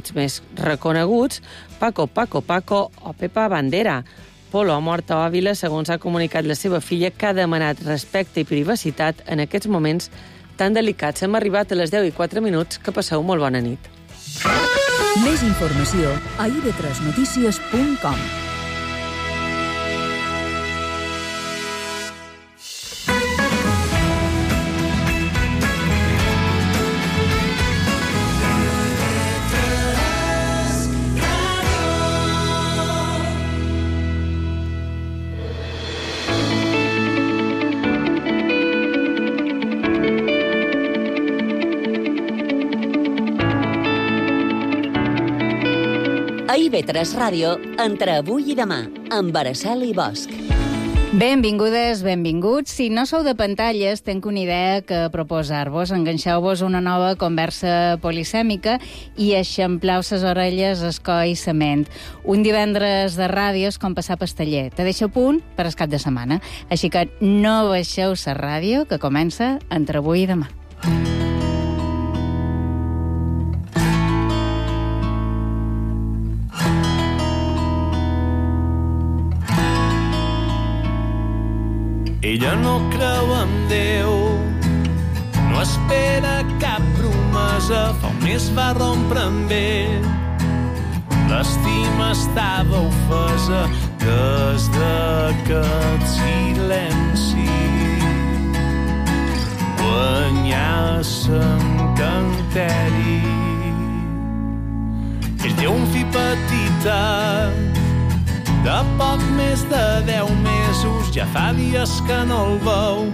èxits més reconeguts, Paco, Paco, Paco o Pepa Bandera. Polo ha mort a Òvila, segons ha comunicat la seva filla, que ha demanat respecte i privacitat en aquests moments tan delicats. Hem arribat a les 10:04, que passeu molt bona nit. Més informació a ib3notícies.com. A IB3 Ràdio, entre avui i demà, amb Araceli Bosch. Benvingudes, benvinguts. Si no sou de pantalles, tenc una idea que proposar-vos. Enganxeu-vos una nova conversa polisèmica i eixampleu ses orelles, el coll i la ment. Un divendres de ràdio és com passar pasteller. Te deixa a punt per el cap de setmana. Així que no baixeu la ràdio, que comença entre avui i demà. Ella no creu en Déu, no espera cap promesa, fa un mes va rompre amb ell. L'estima estava ofesa des d'aquest silenci. Guanyar s'encanteri. Ell té un fill petita, de poc més de 10 mesos, ja fa dies que no el veu.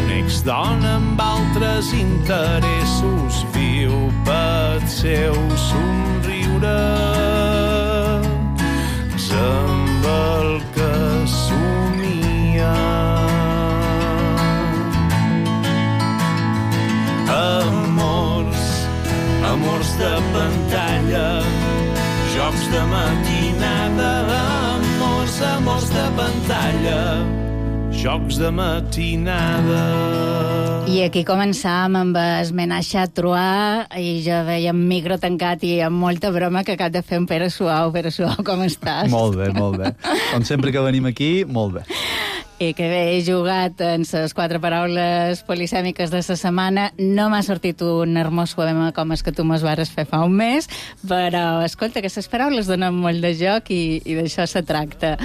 Un ex-dona amb altres interessos viu pel seu somriure. És amb el que somia. Amors de pantalla, jocs de matinada, amors de pantalla, jocs de matinada. I aquí començàvem amb el menatge a Troyes i jo veia un micro tancat i amb molta broma que acab de fer un Pere Suau, com estàs? Molt bé, molt bé. Com sempre que venim aquí, molt bé. I que bé, he jugat en les 4 paraules polisèmiques de la setmana. No m'ha sortit un hermós poema com el que tu mos vares fer fa un mes, però, escolta, que les paraules donen molt de joc i d'això se tracta.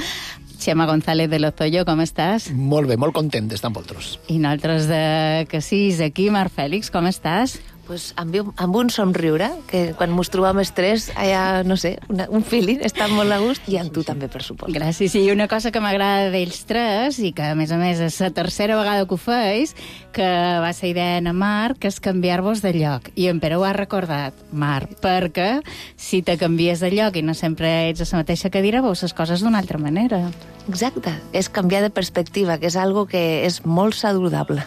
Xema González de Lozoyo, com estàs? Molt bé, molt content d'estar amb vosaltres. I nosaltres de Cassis, aquí, Marc Fèlix, com estàs? Pues amb un somriure, que quan mos trobam els tres, hi ha, no sé, un feeling, està molt a gust, i amb tu també, per supost. Gràcies. I una cosa que m'agrada d'ells tres, i que a més és la tercera vegada que ho feis, que va ser idea en Marc, que és canviar-vos de lloc. I en Pere ho ha recordat, Marc, perquè si te canvies de lloc i no sempre ets a la mateixa cadira, veus les coses d'una altra manera. Exacte, és canviar de perspectiva, que és algo que és molt saludable.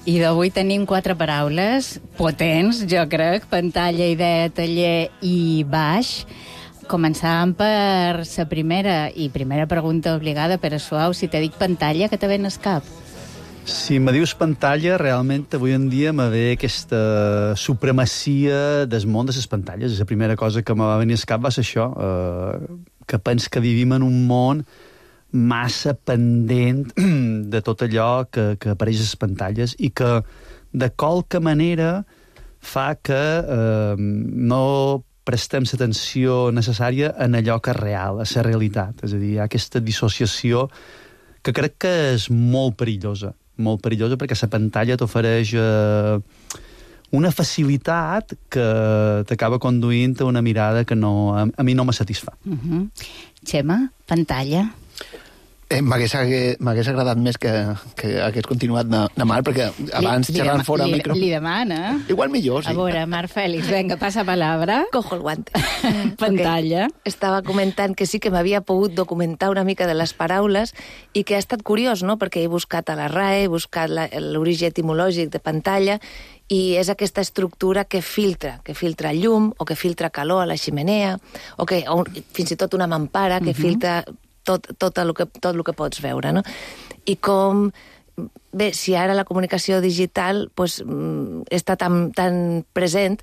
I d'avui tenim 4 paraules potents, jo crec: pantalla, idea, taller i baix. Començàvem per la primera pregunta obligada, Pere Suau. Si te dic pantalla, què te ven al cap? Si me dius pantalla, realment avui en dia me ve aquesta supremacia del món de les pantalles. La primera cosa que me va venir al cap va ser això, que pens que vivim en un món massa pendent de tot allò que apareix a les pantalles i que de qualque manera fa que no prestem l'atenció necessària en allò que és real, a la realitat. És a dir, hi ha aquesta dissociació que crec que és molt perillosa perquè la pantalla t'ofereix una facilitat que t'acaba conduint a una mirada que a mi no me satisfà. Xema, pantalla? M'hagués agradat més que hagués continuat de Marc, perquè abans xerrant fora al micro... Li demana. Igual millor, sí. A veure, Marc Fèlix, venga, passa palabra. Cojo el guante. Pantalla. Okay. Estava comentant que sí que m'havia pogut documentar una mica de les paraules i que ha estat curiós, no?, perquè he buscat a la RAE, he buscat l'origen etimològic de pantalla, i és aquesta estructura que filtra llum, o que filtra calor a la ximenea, o fins i tot una mampara que filtra tot el que pots veure, no? I com bé, si ara la comunicació digital pues, està tan present,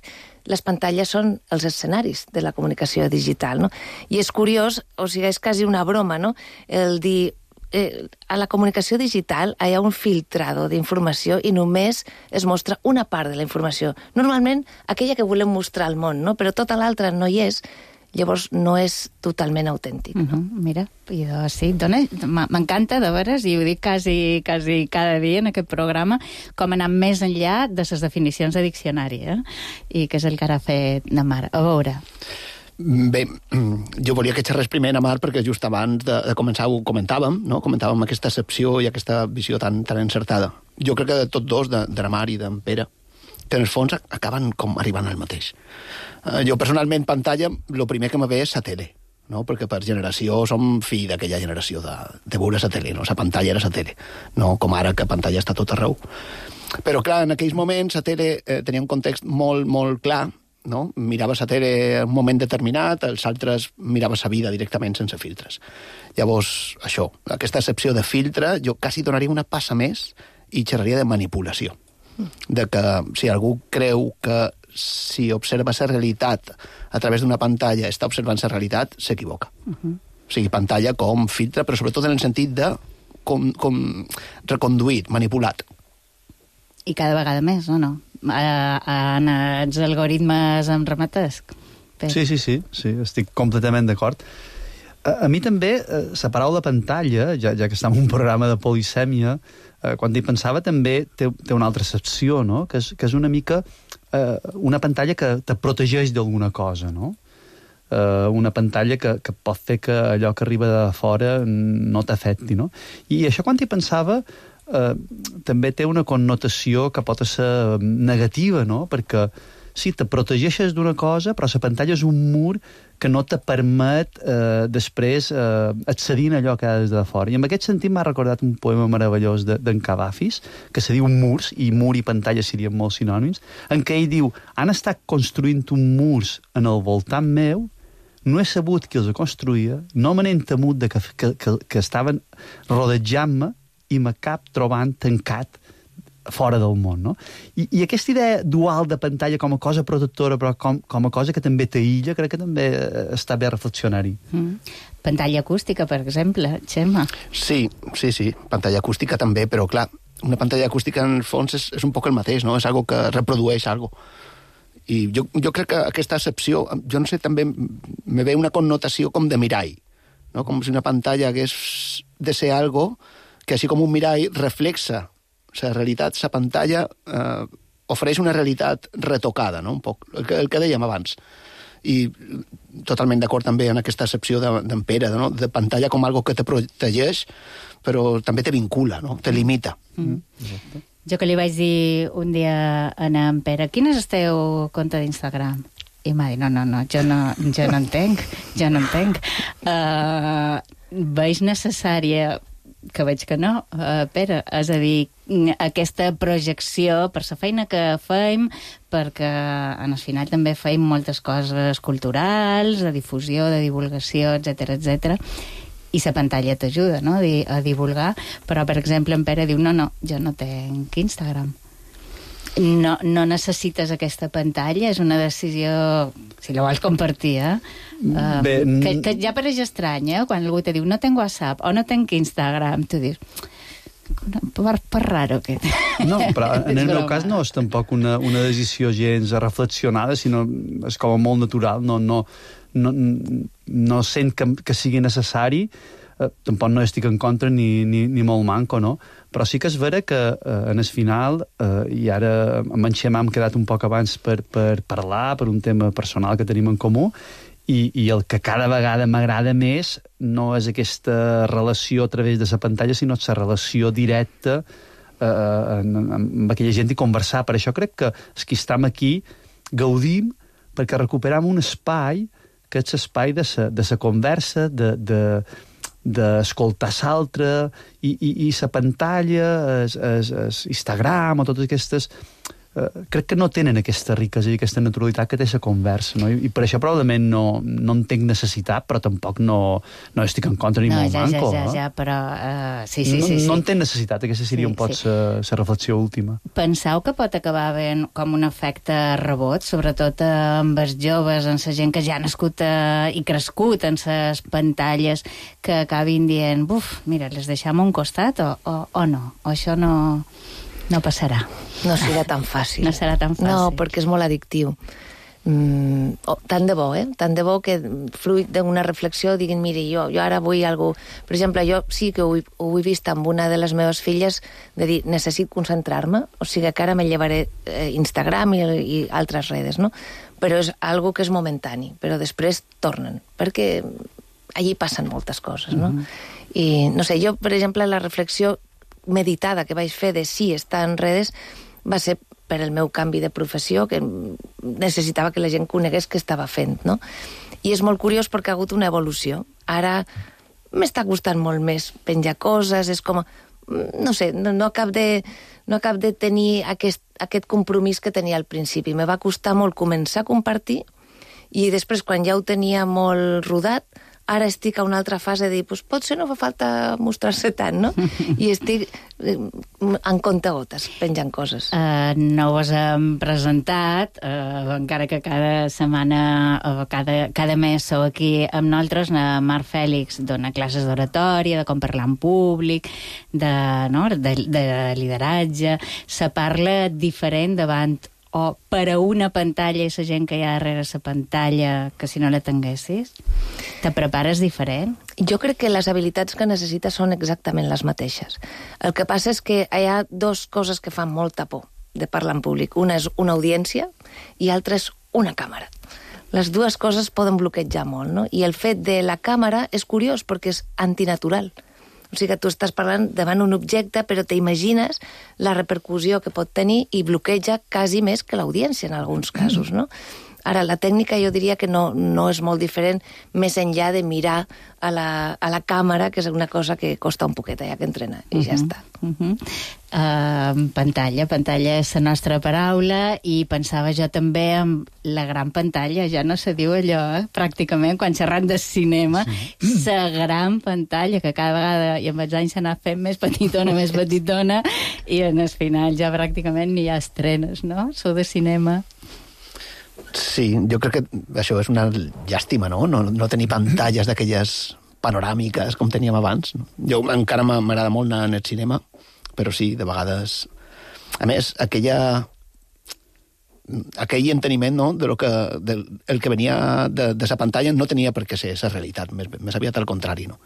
les pantalles són els escenaris de la comunicació digital, no? I és curiós, o sigui, és quasi una broma, no?, el dir a la comunicació digital hi ha un filtrado d'informació i només es mostra una part de la informació. Normalment, aquella que volem mostrar al món, no?, però tota l'altra no hi és, llavors no és totalment autèntic. No? Mira, sí, m'encanta, de veres, i ho dic quasi cada dia en aquest programa, com anar més enllà de les definicions de diccionari, i que és el que ara ha fet la Mar. A veure... Bé, jo volia que xerrés primer a Mar perquè just abans de començar ho comentàvem, no? Comentàvem aquesta excepció i aquesta visió tan encertada. Jo crec que de tots dos, de la Mar i d'en Pere, que en el fons acaben com arribant al mateix. Jo personalment, pantalla, el primer que me ve és la tele, no? Perquè per generació som fill d'aquella generació de veure la tele, no? La pantalla era la tele, no com ara que pantalla està tot arreu. Però clar, en aquells moments la tele tenia un context molt, molt clar, no? Miraves la tele en un moment determinat, els altres miraves la vida directament sense filtres. Llavors, això, aquesta excepció de filtre, jo quasi donaria una passa més i xerraria de manipulació. De que si algú creu que si observa la realitat a través d'una pantalla està observant la realitat, s'equivoca. O sigui, pantalla com filtre, però sobretot en el sentit de com reconduït, manipulat. I cada vegada més, o no? En els algoritmes em remates? Sí, estic completament d'acord. A mi també, la paraula pantalla, ja que estem en un programa de polisèmia, quan hi pensava també té una altra excepció, no? Que és una mica una pantalla que te protegeix d'alguna cosa, no? Una pantalla que pot fer que allò que arriba de fora no t'afecti, no? I això quan hi pensava també té una connotació que pot ser negativa, no? Perquè sí, te protegeixes d'una cosa, però la pantalla és un mur que no te permet després accedir a allò que has de fora. I en aquest sentit m'ha recordat un poema meravellós d'en Cavafis, que se diu Murs, i mur i pantalla serien molt sinònims, en què ell diu: han estat construint un murs en el voltant meu, no he sabut qui els construïa, no me n'he temut de que estaven rodejant-me i m'acab trobant tancat fora del món, no? I aquesta idea dual de pantalla com a cosa protectora, però com a cosa que també t'aïlla, crec que també està bé reflexionar-hi. Pantalla acústica, per exemple, Xema. Sí, pantalla acústica també, però clar, una pantalla acústica en el fons és un poc el mateix, no? És algo que reprodueix algo. I jo crec que aquesta excepció, jo no sé, també me ve una connotació com de mirall, no? Com si una pantalla hagués de ser algo que així com un mirall reflexa la realitat, la pantalla ofereix una realitat retocada, no? Un poc, el que dèiem abans. I totalment d'acord també en aquesta excepció d'en Pere, no? De pantalla com algo que te protegeix, però també te vincula, no? Te limita. Jo que li vaig dir un dia a en Pere: quin és el teu compte d'Instagram? I m'ha dit: no, jo no entenc. Veig necessària, que veig que no, Pere, és a dir, aquesta projecció per la feina que fem, perquè en el final també fem moltes coses culturals, de difusió, de divulgació, etc. I la pantalla t'ajuda, no?, a divulgar, però, per exemple, en Pere diu: no, jo no tenc Instagram. No necessites aquesta pantalla, és una decisió, si la vols compartir, que ja pareix estrany, quan algú te diu: no tenc WhatsApp o no tenc Instagram, tu dius: per raro que... No, però en el meu cas no és tampoc una decisió gens reflexionada, sinó és com a molt natural, no sent que sigui necessari, tampoc no estic en contra ni molt manco, no? Però sí que és vera que en el final, i ara amb en Xema hem quedat un poc abans per parlar, per un tema personal que tenim en comú, i el que cada vegada m'agrada més no és aquesta relació a través de la pantalla, sinó la relació directa amb aquella gent i conversar. Per això crec que els que estem aquí gaudim perquè recuperam un espai que és l'espai de la conversa, d'escoltar l'altre, i la pantalla, Instagram o totes aquestes crec que no tenen aquesta riquesa i aquesta naturalitat que té la conversa, no? I per això probablement no en tinc necessitat, però tampoc no estic en contra ni molt manco. Ja, però... Sí. No en té necessitat, aquesta seria un pot la reflexió última. Penseu que pot acabar havent com un efecte rebot, sobretot amb els joves, amb la gent que ja ha nascut i crescut en les pantalles, que acabin dient, mira, les deixem a un costat o no? O això no passarà. No serà tan fàcil. No serà tan fàcil. No, perquè és molt addictiu. Tant de bo, Tant de bo que fruit d'una reflexió diguin, mira, jo ara vull algú... Per exemple, jo sí que ho he vist amb una de les meves filles de dir, necessito concentrar-me, o sigui que ara me llevaré Instagram i altres redes, no? Però és algo que és momentani, però després tornen, perquè allí passen moltes coses, no? I, no sé, jo, per exemple, la reflexió meditada que vaig fer de sí estar en redes va ser per el meu canvi de professió, que necessitava que la gent conegués què estava fent, no? I és molt curiós perquè ha hagut una evolució. Ara m'està costant molt més penjar coses, és com... No sé, no acab de tenir aquest compromís que tenia al principi. Me va costar molt començar a compartir i després, quan ja ho tenia molt rodat, ara estic a una altra fase de dir, potser no fa falta mostrar-se tant, no? I estic en comptagotes, penjant coses. No us hem presentat, encara que cada setmana o cada mes sou aquí amb nosaltres. Marc Fèlix dona classes d'oratòria, de com parlar en públic, de lideratge. Se parla diferent davant o per a una pantalla i la gent que hi ha darrere la pantalla que si no la tinguessis? Te prepares diferent? Jo crec que les habilitats que necessites són exactament les mateixes. El que passa és que hi ha dues coses que fan molta por de parlar en públic. Una és una audiència i l'altra és una càmera. Les dues coses poden bloquejar molt, no? I el fet de la càmera és curiós perquè és antinatural. O sigui que tu estàs parlant davant un objecte, però t'imagines la repercussió que pot tenir i bloqueja quasi més que l'audiència en alguns casos, no? Ara, la tècnica jo diria que no és molt diferent més enllà de mirar a la càmera, que és una cosa que costa un poquet, ja que entrenar, i ja està. Pantalla és la nostra paraula, i pensava jo també en la gran pantalla, ja no se diu allò, pràcticament, quan xerrant de cinema, la gran pantalla, que cada vegada, i amb els anys s'ha anat fent més petitona, i en el final ja pràcticament ni hi ha estrenes, no? Sou de cinema. Sí, jo crec que això és una llàstima, no? No tenir pantalles d'aquelles panoràmiques com teníem abans. Jo encara m'agrada molt anar al cinema, però sí, de vegades... A més, aquell enteniment, no?, el que venia de la pantalla no tenia per què ser la realitat, més aviat al contrari, no?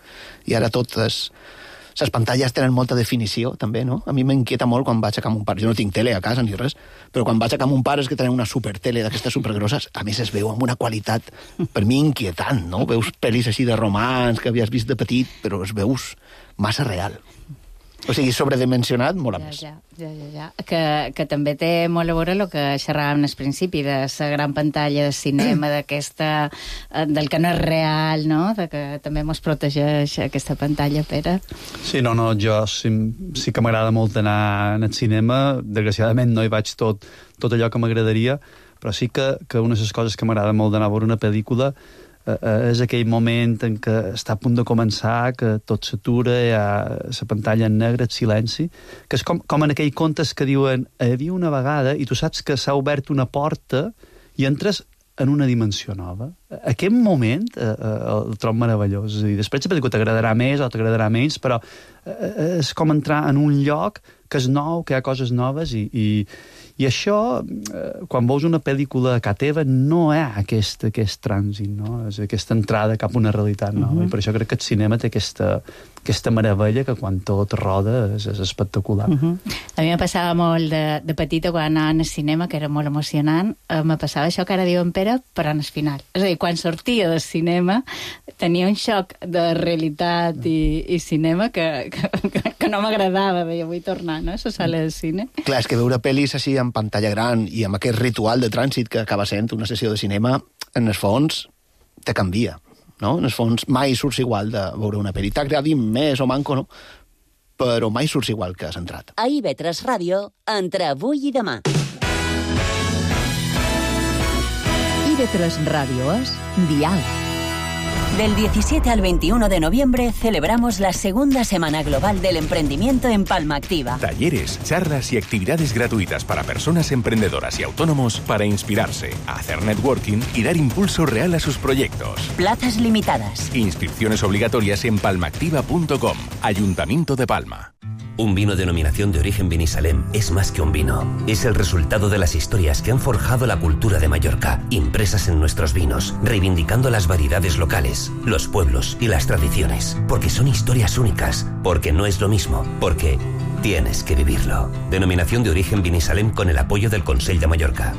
I ara totes... Les pantalles tenen molta definició, també, no? A mi m'inquieta molt quan vaig a Can Mon Pare. Jo no tinc tele a casa ni res, però quan vaig a Can Mon Pare és que tenen una supertele d'aquestes supergrosses. A més, es veu amb una qualitat, per mi, inquietant, no? Veus pel·lis així de romans que havies vist de petit, però es veus massa real. O sigui, sobredimensionat, molt a més. Ja. Que també té molt a veure el que xerràvem al principi, de la gran pantalla de cinema, del que no és real, no? De que també mos protegeix aquesta pantalla, Pere. Sí, jo sí que m'agrada molt anar al cinema. Desgraciadament no hi vaig tot allò que m'agradaria, però sí que una de les coses que m'agrada molt d'anar a veure una pel·lícula és aquell moment en què està a punt de començar, que tot s'atura, hi ha la pantalla en negre, el silenci, que és com en aquells contes que diuen hi havia una vegada i tu saps que s'ha obert una porta i entres en una dimensió nova. Aquest moment el trobo meravellós. És a dir, després la pel·lícula t'agradarà més o t'agradarà menys, però és com entrar en un lloc que és nou, que hi ha coses noves i això, quan veus una pel·lícula a casa teva, no hi ha aquest trànsit, no? És aquesta entrada cap a una realitat nova. I per això crec que el cinema té aquesta meravella que quan tot roda és espectacular. A mi me passava molt de petita quan anava al cinema, que era molt emocionant, me passava això que ara diu en Pere, però en el final. És a dir, quan sortia del cinema tenia un xoc de realitat i cinema que no m'agradava, deia, vull tornar, no?, a la sala de cine. Clar, és que veure pel·lis així en pantalla gran i amb aquest ritual de trànsit que acaba sent una sessió de cinema, en el fons te canvia, no? En el fons mai surts igual de veure una pel·li. T'agradi més o manco, no? Però mai surts igual que has entrat. A IB3 Ràdio, entre avui i demà. IB3 Radio es Dial. Del 17 al 21 de noviembre celebramos la segunda Semana Global del Emprendimiento en Palma Activa. Talleres, charlas y actividades gratuitas para personas emprendedoras y autónomos para inspirarse, hacer networking y dar impulso real a sus proyectos. Plazas limitadas. Inscripciones obligatorias en palmaactiva.com. Ayuntamiento de Palma. Un vino denominación de origen Vinisalem es más que un vino. Es el resultado de las historias que han forjado la cultura de Mallorca, impresas en nuestros vinos, reivindicando las variedades locales, los pueblos y las tradiciones. Porque son historias únicas, porque no es lo mismo, porque tienes que vivirlo. Denominación de origen Vinisalem con el apoyo del Consell de Mallorca.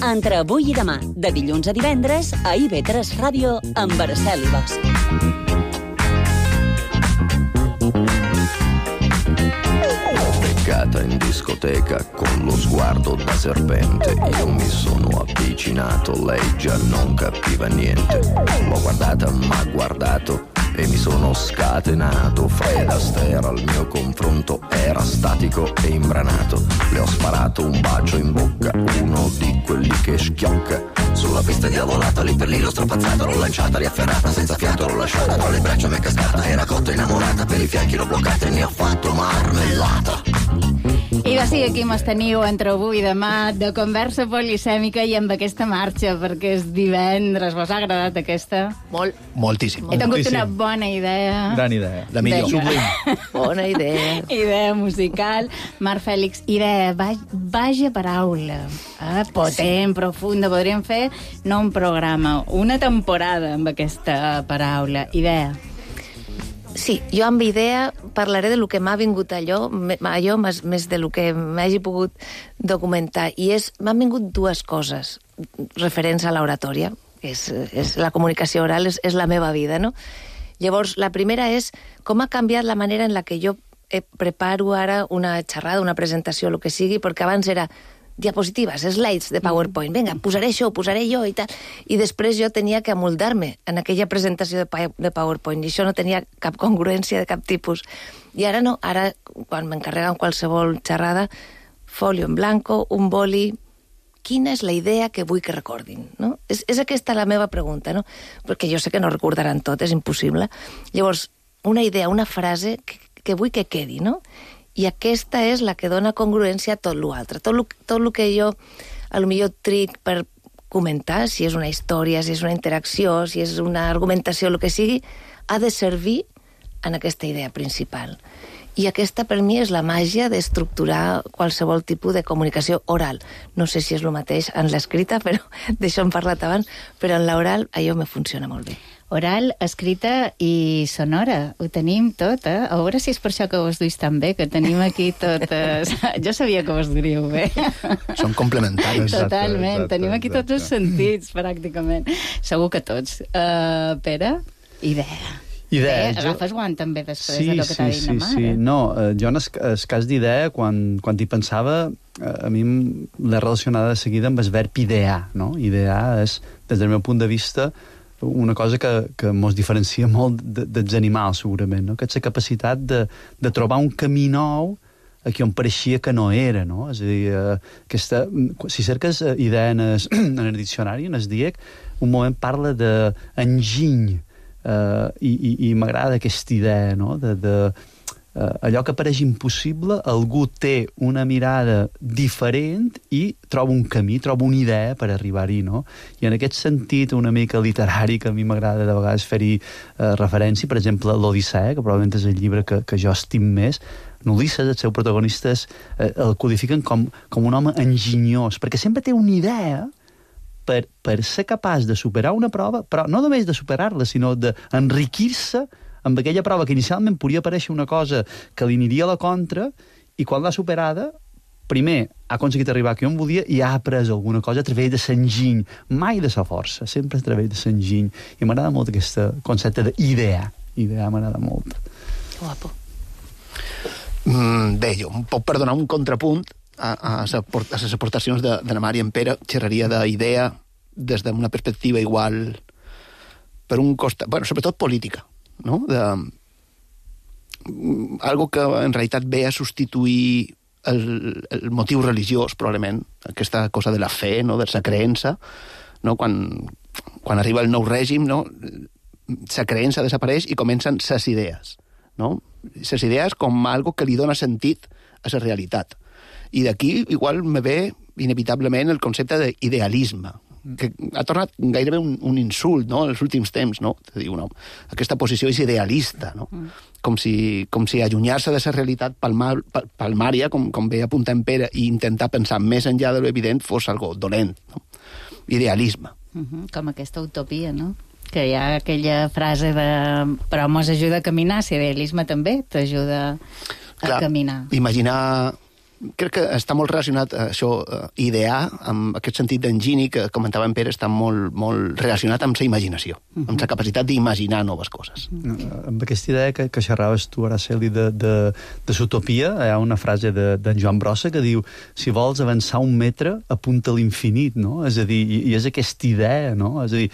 Entre avui i demà, de dilluns a divendres, a IB3 Ràdio, amb Marcel i Bosch. Beccata in discoteca con lo sguardo da serpente, io mi sono avvicinato, lei già non capiva niente. L'ho guardata, m'ha guardato e mi sono scatenato. Fred Astaire al mio confronto era statico e imbranato. Le ho sparato un bacio in bocca, uno di quelli che schiocca. Sulla pista diavolata, lì per lì l'ho strappazzata, l'ho lanciata, riafferrata, senza fiato l'ho lasciata, tra le braccia m'è cascata, era cotta innamorata, per i fianchi l'ho bloccata e ne ho fatto marmellata. I va ser aquí mos teniu entre avui i demà de conversa polisèmica i amb aquesta marxa, perquè és divendres. Vos ha agradat aquesta? Molt. Moltíssim. He tingut una bona idea. Gran idea. La millor. Bona idea. Idea musical. Marc Fèlix, idea, vaja paraula. Potent, profunda. Podríem fer no un programa, una temporada amb aquesta paraula. Idea. Sí, jo amb idea parlaré de lo que m'ha vingut allò més de lo que m'hagi pogut documentar. I m'han vingut dues coses referents a l'oratòria. És la comunicació oral, és la meva vida, no? Llavors, la primera és com ha canviat la manera en la que jo preparo ara una xerrada, una presentació, el que sigui, perquè abans era diapositives, slides de PowerPoint. Vinga, posaré això, posaré jo i tal. I després jo tenia que amoldar-me en aquella presentació de PowerPoint i això no tenia cap congruència de cap tipus. I ara no, ara quan m'encarreguen qualsevol xerrada, folio en blanco, un boli, quina és la idea que vull que recordin, no? És aquesta la meva pregunta, no? Perquè jo sé que no recordaran tot, és impossible. Llavors, una idea, una frase que vull que quedi, no? I aquesta és la que dona congruència a tot l'altre. Tot el que jo, a lo millor tric per comentar, si és una història, si és una interacció, si és una argumentació, el que sigui, ha de servir en aquesta idea principal. I aquesta, per mi, és la màgia d'estructurar qualsevol tipus de comunicació oral. No sé si és el mateix en l'escrita, però d'això hem parlat abans, però en l'oral allò me funciona molt bé. Oral, escrita i sonora. Ho tenim tot, eh? A veure si és per això que vos duis tan bé, que tenim aquí totes... Jo sabia que vos duríeu bé. Són complementaris. Totalment. Tenim aquí tots els sentits, pràcticament. Segur que tots. Pere, idea. Agafes guant també després de que t'ha dit la mare. Sí. No, jo en el cas d'idea, quan hi pensava, a mi l'he relacionada de seguida amb el verb idear, no? Idear és, des del meu punt de vista, una cosa que mos diferencia molt dels animals, segurament, no? Que és la capacitat de trobar un camí nou aquí on pareixia que no era, no? És a dir, si cerques idea en el diccionari, en el DIEC, un moment parla d'enginy, i m'agrada aquesta idea, no? Allò que pareix impossible, algú té una mirada diferent i troba un camí, troba una idea per arribar-hi, no? I en aquest sentit una mica literari, que a mi m'agrada de vegades fer-hi referència, per exemple, l'Odissea, que probablement és el llibre que jo estim més, en Ulisses, els seus protagonistes el codifiquen com un home enginyós, perquè sempre té una idea per ser capaç de superar una prova, però no només de superar-la, sinó d'enriquir-se amb aquella prova que inicialment podria aparèixer una cosa que li aniria a la contra, i quan l'ha superada, primer ha aconseguit arribar aquí on volia i ha après alguna cosa a través de l'enginy, mai de la força, sempre a través de l'enginy. I m'agrada molt aquest concepte d'idear. Idear m'agrada molt. Guapo. Bé, jo em puc perdonar un contrapunt a les aportacions de la Mari en Pere, xerraria d'idea des d'una perspectiva igual per un costat, bueno, sobretot política, no? algo que en realitat ve a substituir el motiu religiós, probablement, aquesta cosa de la fe, no? De la creença, no? Quan arriba el nou règim, no? La creença desapareix i comencen ses idees, no? Ses idees com algo que li dona sentit a la realitat. I d'aquí igual me ve inevitablement el concepte d'idealisme, que ha tornat gairebé un insult, no?, en els últims temps, no? Te diu, no, aquesta posició és idealista, no? Com si allunyar-se de la realitat palmària, com ve apuntant Pere, i intentar pensar més enllà de l'evident fos algo dolent, no? Idealisme. Com aquesta utopia, no? Que hi ha aquella frase de però mos ajuda a caminar, si idealisme també t'ajuda a caminar. Imaginar... Crec que està molt relacionat això, idear, amb aquest sentit d'engini que comentava en Pere, està molt, molt relacionat amb la imaginació, amb la capacitat d'imaginar noves coses. Amb aquesta idea que xerraves tu, Araceli, de l'utopia, hi ha una frase d'en Joan Brossa que diu: si vols avançar 1 metre, apunta a l'infinit, no? És a dir, i és aquesta idea, no? És a dir,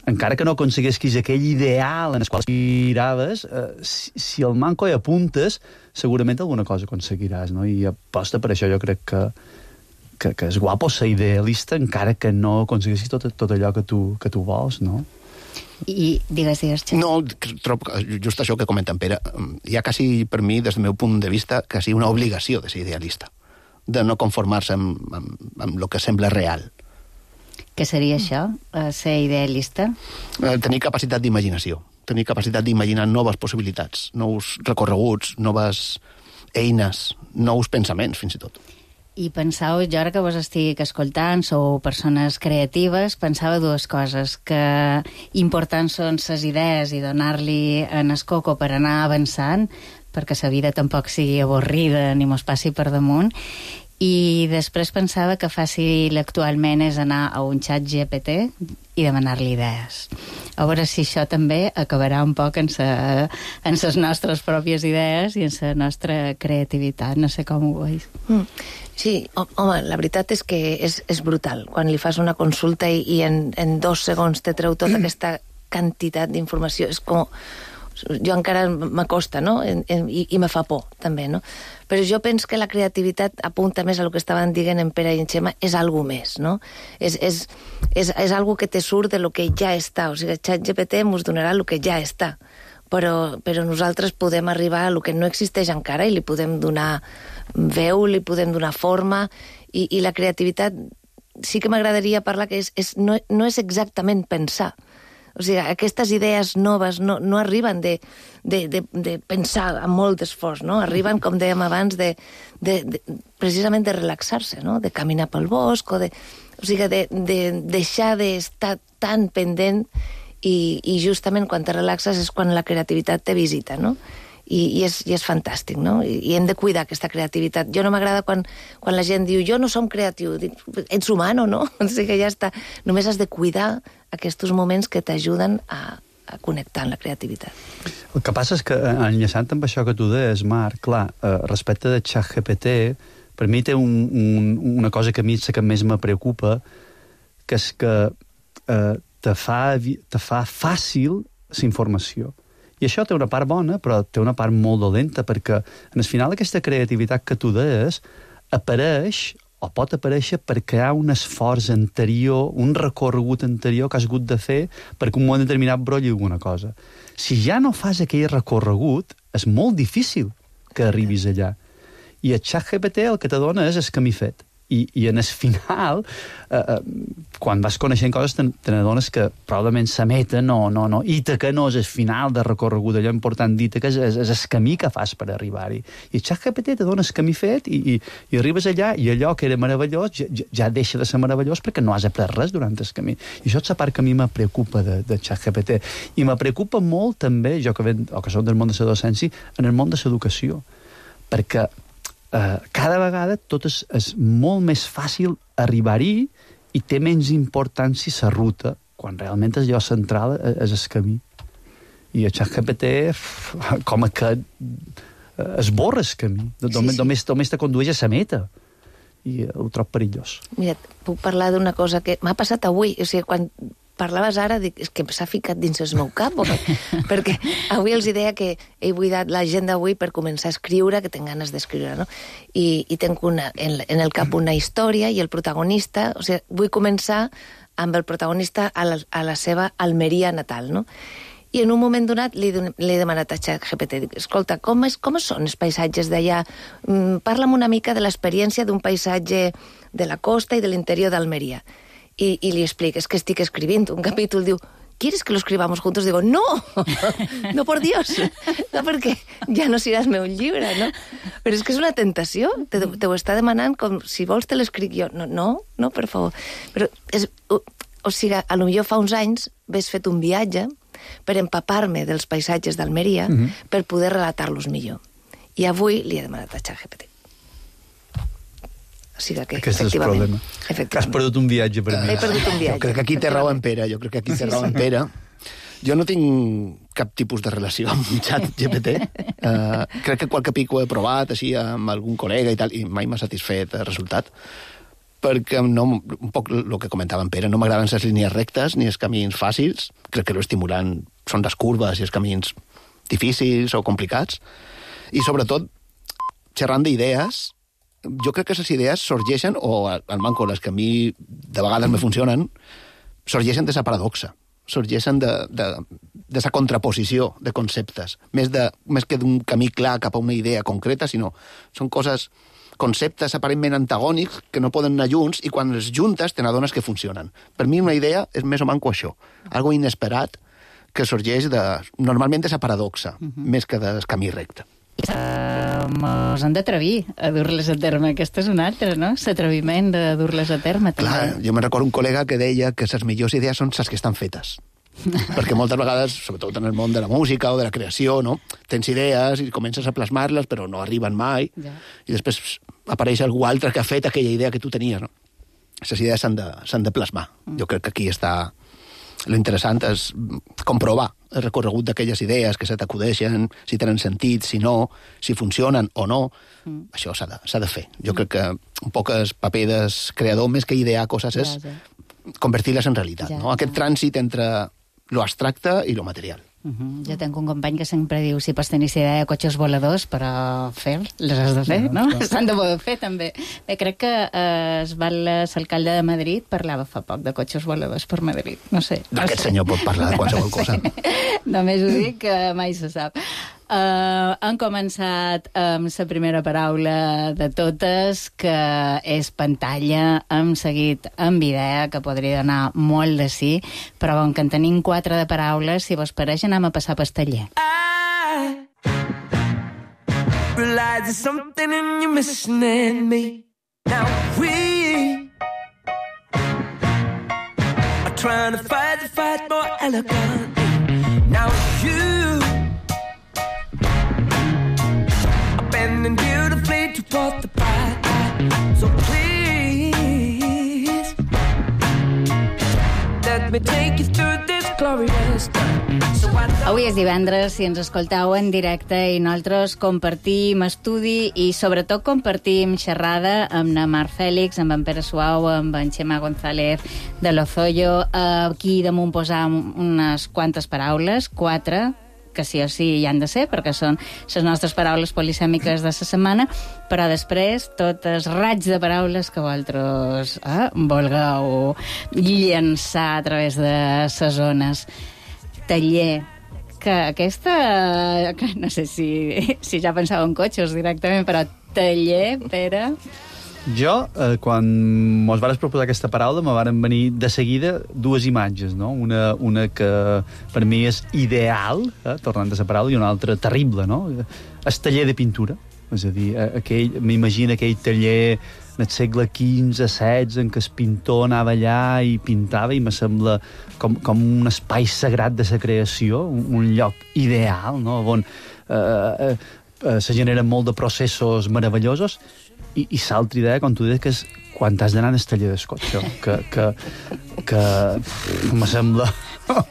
encara que no aconseguessis aquell ideal en el qual aspiraves, si el manco hi apuntes, segurament alguna cosa aconseguiràs, no? I aposta per això jo crec que és guapo ser idealista, encara que no aconseguissis tot allò que tu vols, no? I digues, Xavi. No, trobo just això que comenta en Pere. Hi ha quasi, per mi, des del meu punt de vista, quasi una obligació de ser idealista, de no conformar-se amb el que sembla real. Què seria això, ser idealista? Tenir capacitat d'imaginació, tenir capacitat d'imaginar noves possibilitats, nous recorreguts, noves eines, nous pensaments, fins i tot. I pensau, jo ara que vos estic escoltant, sou persones creatives, pensava dues coses, que importants són ses idees i donar-li en el coco per anar avançant, perquè la vida tampoc sigui avorrida ni mos passi per damunt. I després pensava que fàcil actualment és anar a un xat GPT i demanar-li idees. A veure si això també acabarà un poc en les nostres pròpies idees i en la nostra creativitat. No sé com ho veus. Sí, home, la veritat és que és brutal. Quan li fas una consulta i en 2 segons te treu tota aquesta quantitat d'informació, és com... Jo encara m'acosta, no? I me fa por, també, no? Però jo penso que la creativitat apunta més a el que estaven dient en Pere i en Xema, és algo més, no? És algo que te surt de lo que ja està. O sigui, el ChatGPT ens donarà el que ja està. Però nosaltres podem arribar a lo que no existeix encara i li podem donar veu, li podem donar forma, i la creativitat sí que m'agradaria parlar que no és exactament pensar. O sigui, aquestes idees noves no arriben de pensar amb molt d'esforç, no? Arriben, com dèiem abans, precisament de relaxar-se, no? De caminar pel bosc, o sigui, de deixar d'estar tan pendent i justament quan te relaxes és quan la creativitat te visita, no? I és fantàstic, no? I hem de cuidar aquesta creativitat. Jo no m'agrada quan la gent diu jo no som creatiu. Dic, ets humano, no? O sigui que ja està. Només has de cuidar aquests moments que t'ajuden a connectar amb la creativitat. El que passa és que, enllaçant amb això que tu deies, Marc, clar, respecte de ChatGPT, per mi té una cosa que a mi que més me preocupa, que és que te fa fàcil la informació. I això té una part bona, però té una part molt dolenta, perquè en el final aquesta creativitat que tu deies apareix o pot aparèixer perquè hi ha un esforç anterior, un recorregut anterior que has hagut de fer perquè un moment determinat brolli alguna cosa. Si ja no fas aquell recorregut, és molt difícil que arribis allà. I el ChatGPT el que te dona és el camí fet. I en el final, quan vas coneixent coses, te n'adones que probablement la meta no, Ítaca no és el final de recorregut, allò important d'Ítaca és el camí que fas per arribar-hi. I el ChatGPT te dona el camí fet i arribes allà i allò que era meravellós ja deixa de ser meravellós perquè no has après res durant el camí. I això és la part que a mi me preocupa de ChatGPT. I me preocupa molt també, jo que soc del món de la docència, en el món de l'educació. Perquè cada vegada tot és molt més fàcil arribar-hi i té menys importància la ruta, quan realment el lloc central és el camí. I el ChatGPT com que esborra el camí, només te condueix a la meta, i ho trobo perillós. Mira, puc parlar d'una cosa que m'ha passat avui, o sigui, quan parlaves ara, dic, és que s'ha ficat dins el meu cap, perquè avui els deia que he buidat l'agenda avui per començar a escriure, que tinc ganes d'escriure, no? I tinc en el cap una història i el protagonista, o sigui, vull començar amb el protagonista a la seva Almeria natal, no? I en un moment donat li he demanat a ChatGPT, dic, escolta, com són els paisatges d'allà? Parla'm una mica de l'experiència d'un paisatge de la costa i de l'interior d'Almeria. I li explico, es que estic escribint un capítol, diu, ¿quieres que lo escribamos juntos? Digo, no, no, por Dios, no, perquè ja no seràs meu llibre, no? Però és que és una tentació, te ho està demanant com, si vols te l'escric jo. No, per favor. Però, o sigui, a lo millor fa uns anys ves fet un viatge per empapar-me dels paisatges d'Almeria per poder relatar-los millor. I avui li he demanat a ChatGPT. O sigui que, aquest és el problema. Que has perdut un viatge per mi. He perdut un viatge. Jo crec que aquí té raó en Pere. Jo no tinc cap tipus de relació amb ChatGPT. Crec que qualque pic ho he provat, així, amb algun col·lega i tal, i mai m'ha satisfet el resultat. Perquè un poc el que comentava en Pere, no m'agraden les línies rectes ni els camins fàcils. Crec que l'estimulant són les curves i els camins difícils o complicats. I sobretot, xerrant d'idees, jo crec que les idees sorgeixen, o al manco les que a mi de vegades me funcionen, sorgeixen de la paradoxa, sorgeixen de la contraposició de conceptes, més que d'un camí clar cap a una idea concreta, sinó són conceptes aparentment antagònics que no poden anar junts i quan els juntes te n'adones que funcionen. Per mi una idea és més o manco això, algo inesperat que sorgeix normalment de la paradoxa, més que del camí recte. Mos hem d'atrevir a dur-les a terme. Aquesta és una altra, no? L'atreviment de dur-les a terme, també. Clar, jo me recordo un col·lega que deia que les millors idees són les que estan fetes. Perquè moltes vegades, sobretot en el món de la música o de la creació, no? Tens idees i comences a plasmar-les, però no arriben mai. Ja. I després apareix algú altre que ha fet aquella idea que tu tenies, no? Les idees s'han de plasmar. Jo crec que aquí està lo interessant és comprovar el recorregut d'aquelles idees que se t'acudeixen, si tenen sentit, si no, si funcionen o no. Això s'ha de fer. Jo crec que un poc el paper del creador, més que idear coses, és convertir-les en realitat. No? Aquest trànsit entre lo abstracte i lo material. Jo tinc un company que sempre diu si pots tenir idea de cotxes voladors, però les has de fer, no? S'han de poder fer, també. Bé, crec que l'alcalde de Madrid parlava fa poc de cotxes voladors per Madrid. No sé. Aquest senyor pot parlar de qualsevol cosa. Només ho dic, que mai se sap. Han començat amb la primera paraula de totes, que és pantalla. Hem seguit amb idea, que podria donar molt de sí, però com que en tenim 4 de paraules, si vos pareix, anem a passar pel taller. I realize there's something in you missing in me. Now we are trying to fight the fight more elegantly. Now you bending beautifully toward the bright light. So please let me take you through this glorious time. Avui és divendres, si ens escoltau en directe, i nosaltres compartim estudi i sobretot compartim xerrada amb na Mar Fèlix, amb en Pere Suau, amb en Xema González de Lozoyo. Aquí damunt posam unes quantes paraules, 4, que sí o sí hi han de ser, perquè són les nostres paraules polisèmiques de la setmana, però després tot el raig de paraules que vosaltres vulgueu llençar a través de les zones. Taller, que aquesta... que no sé si ja pensava en cotxes directament, però taller, Pere... Jo, quan mos vares proposar aquesta paraula, me varen venir de seguida 2 imatges, no? Una que per mi és ideal, tornant a la paraula, i una altra terrible, no? El taller de pintura. És a dir, m'imagino aquell taller en el segle XV, XVI, en què el pintor anava allà i pintava, i me sembla com un espai sagrat de la creació, un lloc ideal, no? On se generen molt de processos meravellosos. I l'altra idea, com tu dius, que és quan has d'anar al taller del cotxe, que me sembla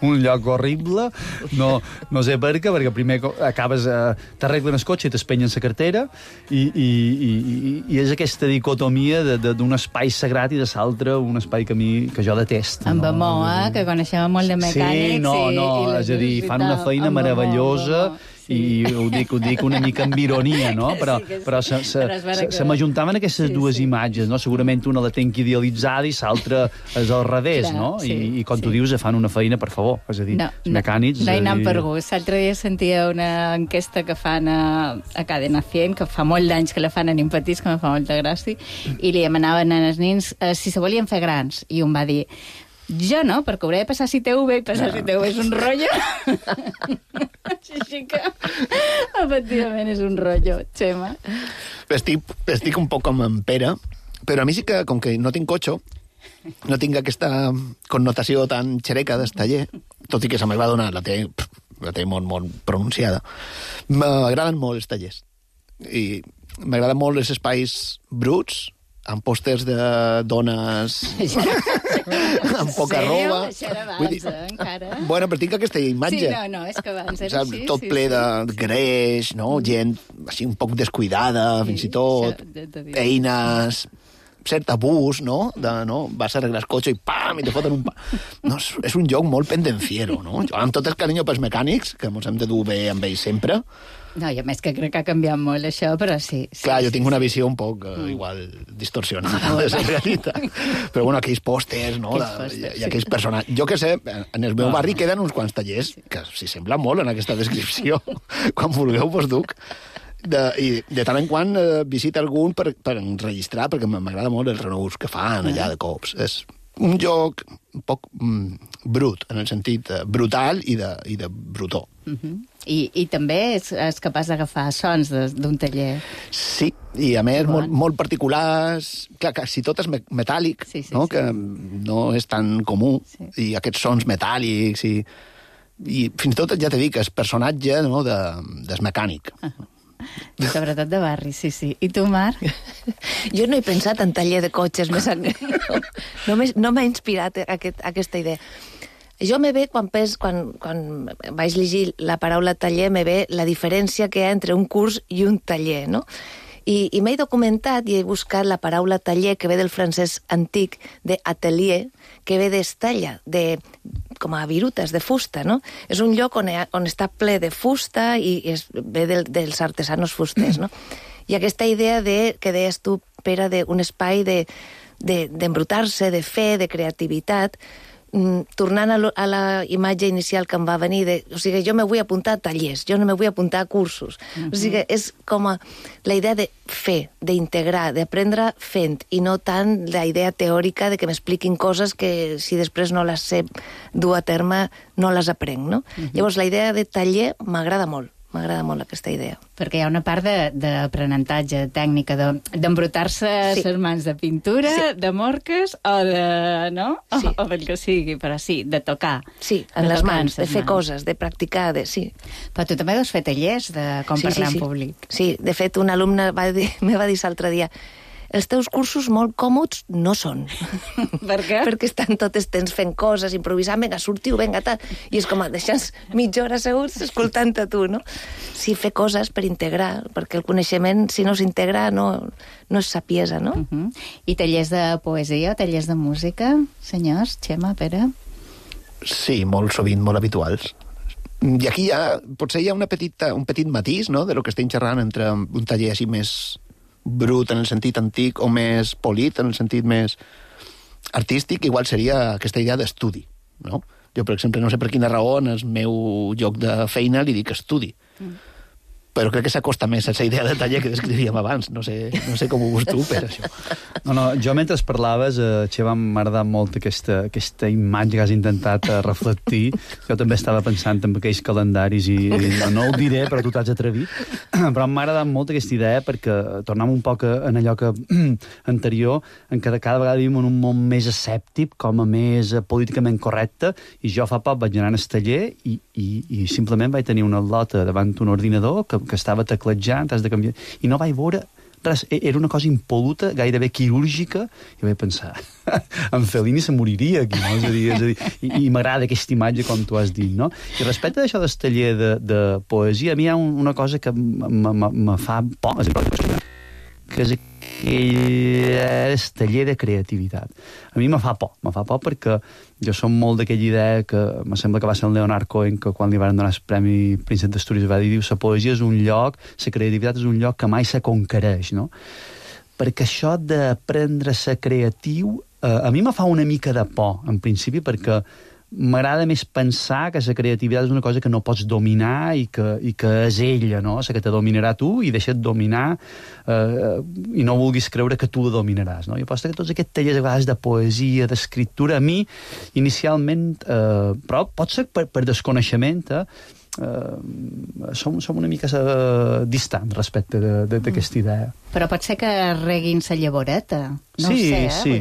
un lloc horrible, no sé per què, perquè primer acabes, t'arreglen el cotxe i t'espenyen la cartera, i és aquesta dicotomia d'un espai sagrat i de l'altre un espai que jo detesto. Amb amor, que coneixem molt de mecànics. És a dir, fan una feina meravellosa, i ho dic una mica amb ironia, no? Però se m'ajuntaven aquestes dues imatges, no? Segurament una la tenc idealitzada i l'altra és al revés, no? I com tu dius, fan una feina, per favor, és a dir, mecànics... No hi anant per gust. L'altre dia sentia una enquesta que fan a Cadena 100, que fa molt d'anys que la fan en Impetís, que me fa molta gràcia, i li demanaven als nens si se volien fer grans, i un va dir: jo no, perquè hauré de passar CTV, i passar CTV és un rotllo. Així que, efectivament, és un rotllo, Xema. Estic un poc com en Pere, però a mi sí que, com que no tinc cotxe, no tinc aquesta connotació tan xereca del taller, tot i que se m'ha donat, la té molt pronunciada. M'agraden molt els tallers. I m'agraden molt els espais bruts, amb pòsters de dones amb poca roba. Això era abans, encara. Bueno, però tinc aquesta imatge. Sí, no, és que abans era així. Tot ple de greix, no? Gent així un poc descuidada, fins i tot. Eines, cert abús, no? Vas a arreglar el cotxe i pam, i te foten un pa. No, és un joc molt pendenciero, no? Jo, amb tot el carinyo pels mecànics, que ens hem de dur bé amb ells sempre. No, i a més que crec que ha canviat molt això, però sí. Clar, jo tinc una visió un poc igual distorsionada de la realitat. Però bueno, aquells pòsters, no? I aquells personatges. Jo que sé, en el meu barri queden uns quants tallers que s'hi sembla molt en aquesta descripció. Quan vulgueu vos duc. I de tant en quant visita algun per enregistrar, perquè m'agrada molt els renous que fan allà de cops. És un joc un poc brut, en el sentit brutal i de brutó. I també és capaç d'agafar sons d'un taller. Sí, i a més molt particulars. Clar, quasi tot és metàl·lic, no? Que no és tan comú. I aquests sons metàl·lics i fins i tot, ja t'he dit, és personatge, no? Del mecànic. Sobretot de barri, sí. I tu, Marc? Jo no he pensat en taller de cotxes, no m'ha inspirat aquesta idea. Jo me ve, quan vaig llegir la paraula taller, me ve la diferència que hi ha entre un curs i un taller, no? I m'he documentat i he buscat la paraula taller, que ve del francès antic, d'atelier, que ve d'estella, com a virutes, de fusta, no? És un lloc on està ple de fusta i ve dels artesanos fusters, no? I aquesta idea que deies tu, Pere, d'un espai d'embrutar-se, de fer, de creativitat, tornant a la imatge inicial que em va venir, o sigui, jo me vull apuntar a tallers, jo no me vull apuntar a cursos. O sigui, és com la idea de fer, d'integrar, d'aprendre fent, i no tant la idea teòrica de que m'expliquin coses que si després no les sé dur a terme, no les aprenc, no? Llavors, la idea de taller m'agrada molt aquesta idea. Perquè hi ha una part d'aprenentatge, tècnica, d'embrutar-se les mans de pintura, de morques, o o del que sigui, però sí, de tocar. Sí, en les mans, de fer coses, de practicar, sí. Però tu també deus fer tallers de com parlar en públic. Sí, de fet, un alumne me va dir l'altre dia: els teus cursos molt còmods no són. Per què? Perquè estan tot el temps fent coses, improvisant, vinga, sortiu, vinga, tal. I és com, deixes mitja hora asseguts escoltant a tu, no? Sí, fer coses per integrar, perquè el coneixement, si no s'integra, no és sapiesa, no? I tallers de poesia o tallers de música, senyors, Xema, Pere? Sí, molt sovint, molt habituals. I aquí potser hi ha un petit matís, no?, de lo que estem xerrant entre un taller així més brut en el sentit antic o més polit en el sentit més artístic, igual seria aquesta idea d'estudi, no? Jo, per exemple, no sé per quina raó en el meu lloc de feina li dic estudi. Però crec que s'acosta més a aquesta idea de taller que descrivíem abans. No sé com ho veus tu, per això. No, jo mentre parlaves, Xeva, m'ha agradat molt aquesta imatge que has intentat reflectir. Jo també estava pensant en aquells calendaris i no ho diré, però tu t'has atrevit. Però m'ha agradat molt aquesta idea perquè tornem un poc en allò que anterior, en què cada vegada vivim en un món més escèptic, com a més políticament correcte, i jo fa poc vaig anar al taller i simplement vaig tenir una lota davant d'un ordinador que estava teclejant, has de canviar, i no vaig veure Res, era una cosa impol·luta, gairebé quirúrgica, i vaig pensar, en Fellini se moriria aquí, no? És a dir, i m'agrada aquesta imatge, com tu has dit, no? I respecte d'això del taller de poesia, a mi hi ha una cosa que me fa por, que és el taller de creativitat. A mi me fa por perquè jo som molt d'aquella idea que me sembla que va ser el Leonard Cohen que quan li van donar el Premi Príncep d'Astúries va dir, la poesia és un lloc, la creativitat és un lloc que mai se conquereix, no? Perquè això d'aprendre a ser creatiu a mi me fa una mica de por, en principi, perquè m'agrada més pensar que la creativitat és una cosa que no pots dominar i que és ella, no? La que te dominarà tu i deixa't dominar i no vulguis creure que tu la dominaràs, no? Jo penso que tots aquests tallers a vegades de poesia, d'escriptura, a mi, inicialment, però pot ser per desconeixement, som una mica distant respecte d'aquesta idea. Però pot ser que reguin la llavoreta. No ho sé, sí.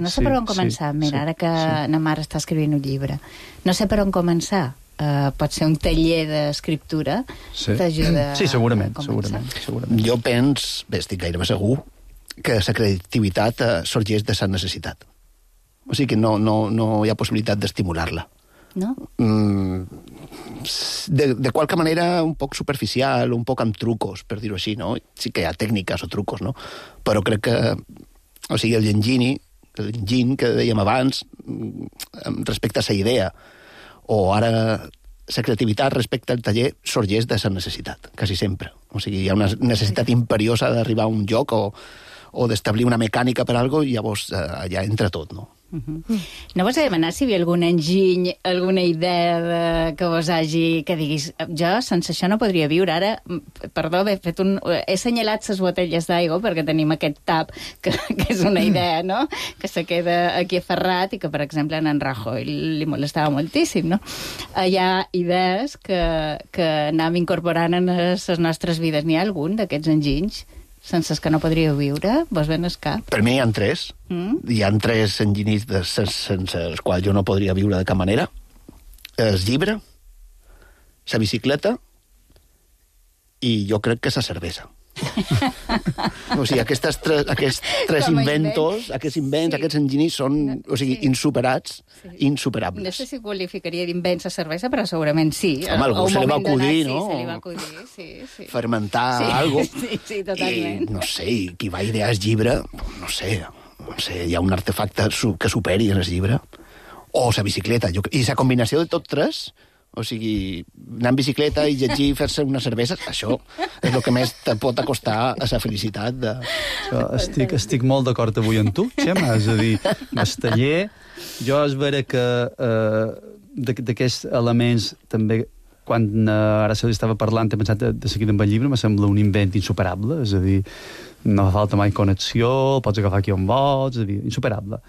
No sé per on començar. Mira, ara que na mare està escrivint un llibre. No sé per on començar. Pot ser un taller d'escriptura t'ajuda a començar. Segurament. Jo penso, estic gairebé segur, que la creativitat sorgeix de la necessitat. O sigui que no hi ha possibilitat d'estimular-la. No? De qualque manera un poc superficial, un poc amb trucos, per dir-ho així, no? Sí que hi ha tècniques o trucos, no? Però crec que, o sigui, l'enginy que dèiem abans, respecte a la idea, o ara la creativitat respecte al taller sorgeix de la necessitat, quasi sempre. O sigui, hi ha una necessitat imperiosa d'arribar a un lloc o d'establir una mecànica per alguna cosa i llavors allà entra tot, no? No vos he demanat si hi havia algun enginy, alguna idea que vos hagi... que diguis, jo sense això no podria viure. Ara, perdó, he assenyalat les botelles d'aigua perquè tenim aquest tap, que és una idea, no?, que se queda aquí aferrat i que, per exemple, en Rajoy li molestava moltíssim, no? Hi ha idees que anem incorporant en les nostres vides. N'hi ha algun d'aquests enginys sense els que no podríeu viure? Vos ven el cap? Per mi hi ha tres. Hi ha tres enginyis sense els quals jo no podria viure de cap manera. El llibre, la bicicleta i jo crec que la cervesa. O sigui, aquests tres invents, aquests enginyis són, o sigui, insuperables. No sé si qualificaria d'invents a cervesa, però segurament sí. Home, algú se li va acudir, no? Sí, se li va acudir, sí. Fermentar alguna cosa. Sí, totalment. I, no sé, qui va idear el llibre, no sé, hi ha un artefacte que superi el llibre. O la bicicleta. I la combinació de tot tres... O sigui, anar en bicicleta i llegir i fer-se una cervesa, això és el que més te pot acostar a la felicitat. Estic molt d'acord avui amb tu, Xema. És a dir, el taller, jo és vera que d'aquests elements també, quan ara se li estava parlant, he pensat de seguir amb el llibre, me sembla un invent insuperable, és a dir, no fa falta mai connexió, pots agafar aquí on vols, és a dir, insuperable.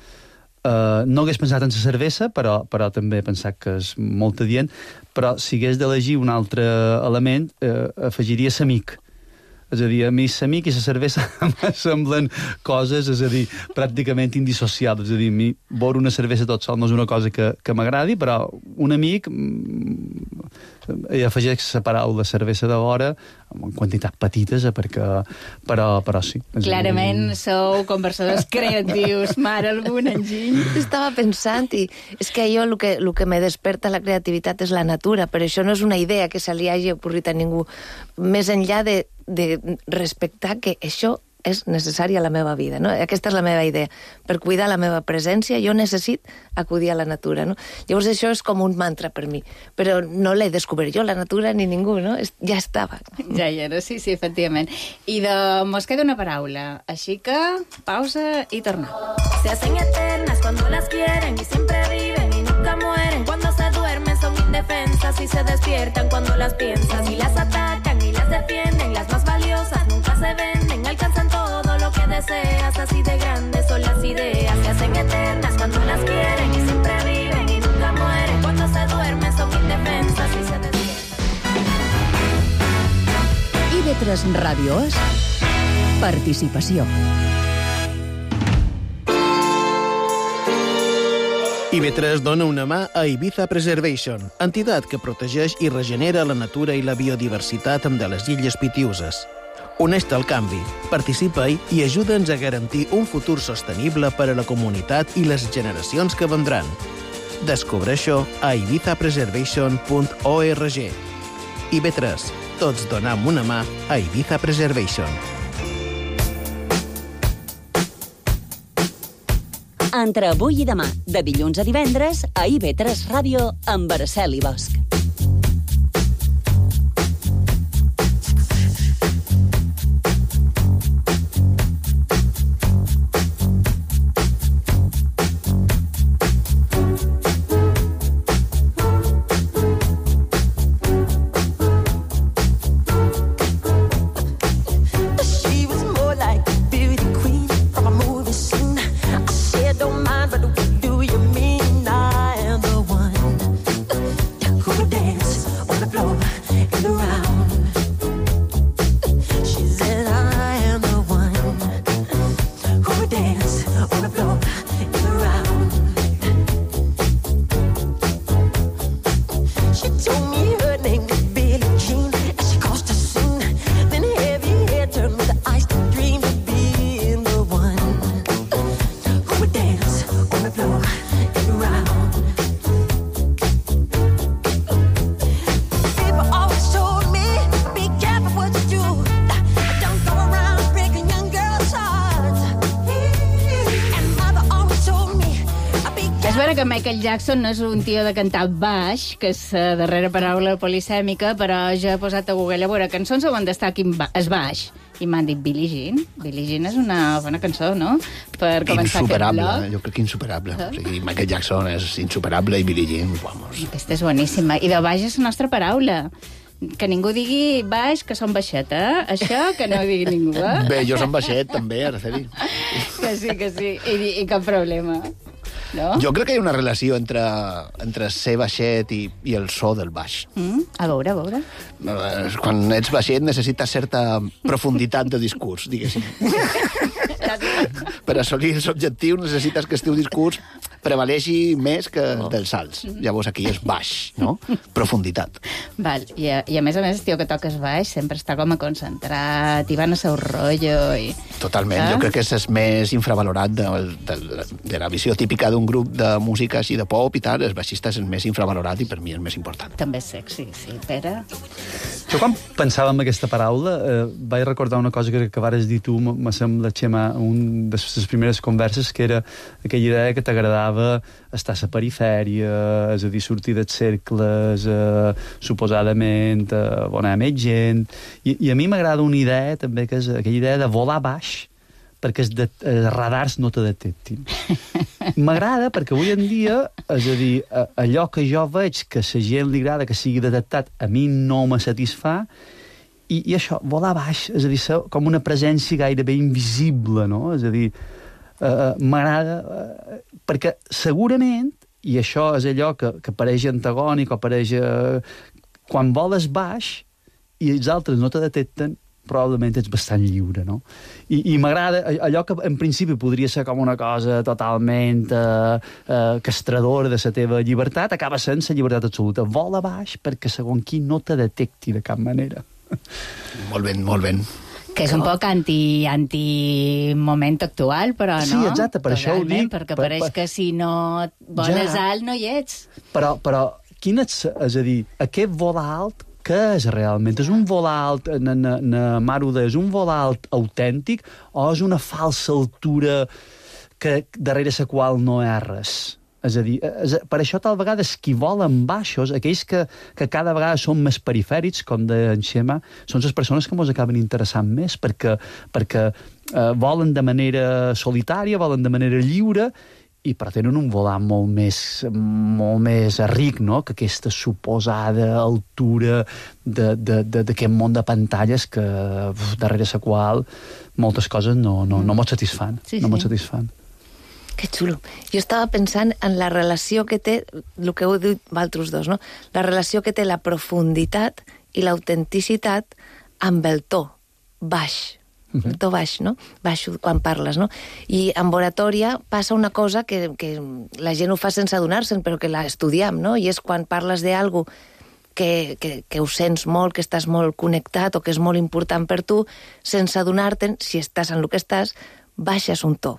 No hagués pensat en la cervesa, però també he pensat que és molt adient, però si hagués d'elegir un altre element, afegiria l'amic. És a dir, a mi l'amic i la cervesa em semblen coses, és a dir, pràcticament indissociables. És a dir, a mi beure una cervesa tot sol no és una cosa que m'agradi, però un amic i afegeix la paraula cervesa de vora en quantitats petites, però sí. Clarament sou conversadors creatius. Mare, algun enginy? Estava pensant i és que jo el que me desperta la creativitat és la natura, però això no és una idea que se li hagi ocorrit a ningú. Més enllà de respectar que això és necessari a la meva vida, no? Aquesta és la meva idea. Per cuidar la meva presència jo necessit acudir a la natura, no? Llavors això és com un mantra per mi, però no l'he descobert jo, la natura, ni ningú, no? Ja estava. Ja hi era, sí, efectivament. I mos queda una paraula, així que pausa i tornem. Se hacen eternas cuando las quieren y siempre viven y nunca mueren. Cuando se duermen son indefensas y se despiertan cuando las piensas y las atacan y las defienden. Las más valiosas nunca se venden, alcanzan todo lo que deseas. Así de grandes son las ideas. Se hacen eternas cuando las quieren y siempre viven y nunca mueren. Cuando se duermen son indefensas y se despiertan. IB3 Ràdio és participació. IB3 dona una mà a Ibiza Preservation, entitat que protegeix i regenera la natura i la biodiversitat de les Illes Pitiüses. Uneix-te al canvi, participa-hi i ajuda'ns a garantir un futur sostenible per a la comunitat i les generacions que vendran. Descobreix-ho a ibizapreservation.org. IB3, tots donam una mà a Ibiza Preservation. Entre avui i demà, de dilluns a divendres, a IB3 Ràdio, amb Araceli Bosch. Que Michael Jackson no és un tio de cantar baix, que és la darrera paraula polisèmica, però jo he posat a Google a veure cançons on destaqui és baix. I m'han dit Billie Jean. Billie Jean és una bona cançó, no? Per començar insuperable, aquest bloc. jo crec que insuperable. O sigui, Michael Jackson és insuperable i Billie Jean, vamos. Aquesta és boníssima. I de baix és la nostra paraula. Que ningú digui baix, que som baixet, eh? Això que no ho digui ningú, eh? Bé, jo som baixet, també, Araceli. Que sí. I cap problema. No? Jo crec que hi ha una relació entre ser baixet i el so del baix. A veure. Quan ets baixet necessites certa profunditat de discurs, diguéssim. Per assolir els objectius necessites que el teu discurs prevaleixi més que dels alts. Llavors aquí és baix, no? Profunditat. Val. I a més, el tio que toques baix sempre està com a concentrat i van a seu rotllo. Totalment. Jo crec que és el més infravalorat de la visió típica d'un grup de música així de pop i tal. El baixista és el més infravalorat i per mi el més important. També és sexy, sí. Pere? Jo quan pensava en aquesta paraula vaig recordar una cosa que vares dir tu, me sembla, Xema, una de les primeres converses, que era aquella idea que t'agradava estar a la perifèria, és a dir, sortir dels cercles, suposadament, on hi ha més gent. I a mi m'agrada una idea, també, que és aquella idea de volar baix, perquè els radars no te detectin. M'agrada perquè avui en dia, és a dir, allò que jo veig que a la gent li agrada que sigui detectat, a mi no me satisfà, i això, volar baix, és a dir, ser com una presència gairebé invisible, no? És a dir, m'agrada, perquè segurament, i això és allò que pareix antagònic o pareix... quan voles baix i els altres no te detecten, probablement ets bastant lliure, no? I m'agrada allò que en principi podria ser com una cosa totalment castradora de la teva llibertat, acaba sent la llibertat absoluta. Vola baix perquè segons qui no te detecti de cap manera. Molt ben. Que és un poc anti-moment actual, però no. Sí, exacte, per això ho dic. Perquè pareix que si no voles alt no hi ets. Però quin és a dir, aquest volar alt, què és realment? És un volar alt, na Maruda, és un volar alt autèntic o és una falsa altura que darrere la qual no hi ha res? És a dir, per això tal vegada qui volen baixos, aquells que cada vegada són més perifèrics, com deia en Xema, són les persones que ens acaben interessant més, perquè volen de manera solitària, volen de manera lliure, i però tenen un volant molt més ric, no?, que aquesta suposada altura d'aquest món de pantalles que darrere la qual moltes coses no mos satisfan. Sí. No mos satisfan. Que xulo. Jo estava pensant en la relació que té, el que heu dit vosaltres dos, no? La relació que té la profunditat i l'autenticitat amb el to baix. El to baix, no? Baix quan parles, no? I en oratòria passa una cosa que la gent ho fa sense adonar-se'n, però que la estudiem, no? I és quan parles d'algo que ho sents molt, que estàs molt connectat o que és molt important per tu, sense adonar-te'n, si estàs en el que estàs, baixes un to.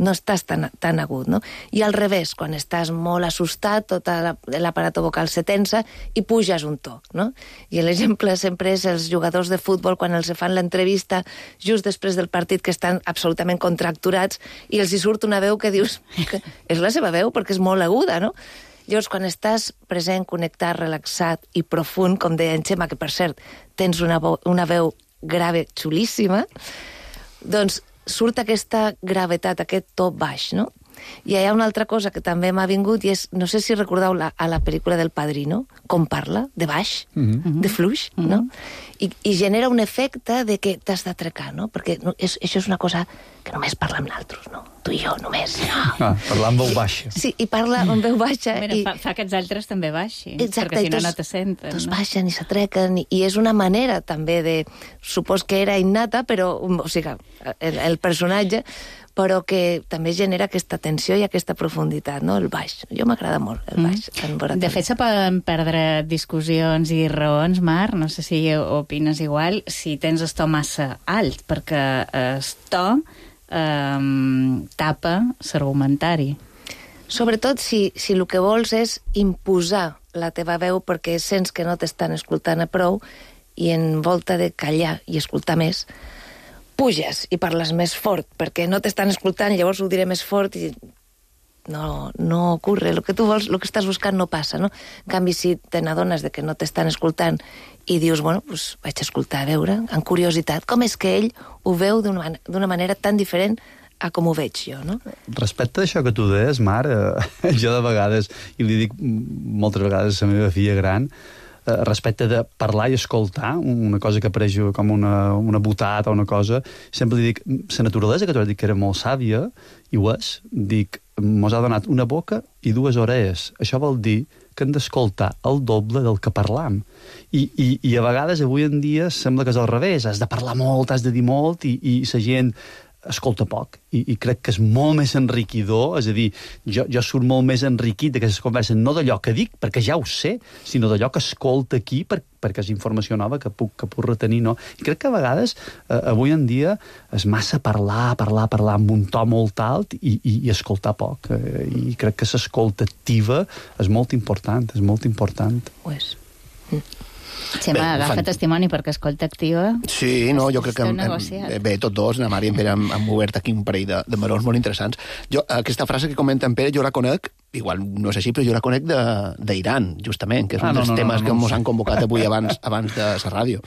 No estàs tan agut, no? I al revés, quan estàs molt assustat, tot l'aparato vocal se tensa i puges un to, no? I l'exemple sempre és els jugadors de futbol quan els fan l'entrevista just després del partit, que estan absolutament contracturats i els hi surt una veu que dius que és la seva veu perquè és molt aguda, no? Llavors, quan estàs present, connectat, relaxat i profund, com deia en Xema, que per cert tens una veu grave xulíssima, doncs surt aquesta gravetat, aquest to baix, no? I hi ha una altra cosa que també m'ha vingut i és, no sé si recordeu a la pel·lícula del Padrino, com parla, de baix, de fluix, no? I genera un efecte de que t'has d'atracar, no? Perquè això és una cosa que només parla amb nosaltres, no? Tu i jo, només. Parlar amb veu baixa. Sí, i parla amb veu baixa. Fa que els altres també baixin, exacte, perquè si no, no te senten. Tots baixen i s'atrequen, i és una manera també de... Supos que era innata, però, o sigui, el personatge, però que també genera aquesta tensió i aquesta profunditat, no? El baix. Jo m'agrada molt, el baix. De fet, se poden perdre discussions i raons, Marc, no sé si opines igual, si tens el to massa alt, perquè el to tapa l'argumentari. Sobretot si el que vols és imposar la teva veu perquè sents que no t'estan escoltant a prou i en volta de callar i escoltar més, puges i parles més fort, perquè no t'estan escoltant, llavors ho diré més fort i no ocorre. El que tu vols, el que estàs buscant no passa, no? En canvi, si te n'adones de que no t'estan escoltant i dius, bueno, doncs vaig a escoltar, a veure, amb curiositat, com és que ell ho veu d'una manera tan diferent a com ho veig jo, no? Respecte a això que tu deies, Marc, jo de vegades, i li dic moltes vegades a la meva filla gran, respecte de parlar i escoltar, una cosa que apareix com una botada o una cosa, sempre li dic, la naturalesa que tu has dit que era molt sàvia, i ho és, dic, mos ha donat una boca i dues orelles. Això vol dir que hem d'escoltar el doble del que parlam. I a vegades, avui en dia, sembla que és al revés, has de parlar molt, has de dir molt, i la gent escolta poc, i crec que és molt més enriquidor, és a dir, jo surt molt més enriquit d'aquestes converses, no d'allò que dic, perquè ja ho sé, sinó d'allò que escolta aquí, perquè és informació nova que puc retenir, no? I crec que a vegades, avui en dia, és massa parlar amb un to molt alt i escoltar poc, i crec que l'escolta activa és molt important, és molt important. Ho és. Xema, agafa testimoni perquè escolta activa. Sí, no, jo crec que bé, tots dos, na Mari i en Pere han obert aquí un parell de melons molt interessants. Jo, aquesta frase que comenta en Pere, jo la conec, igual no és així, però jo la conec d'Iran, justament, que és un dels temes que ens han convocat avui abans de la ràdio.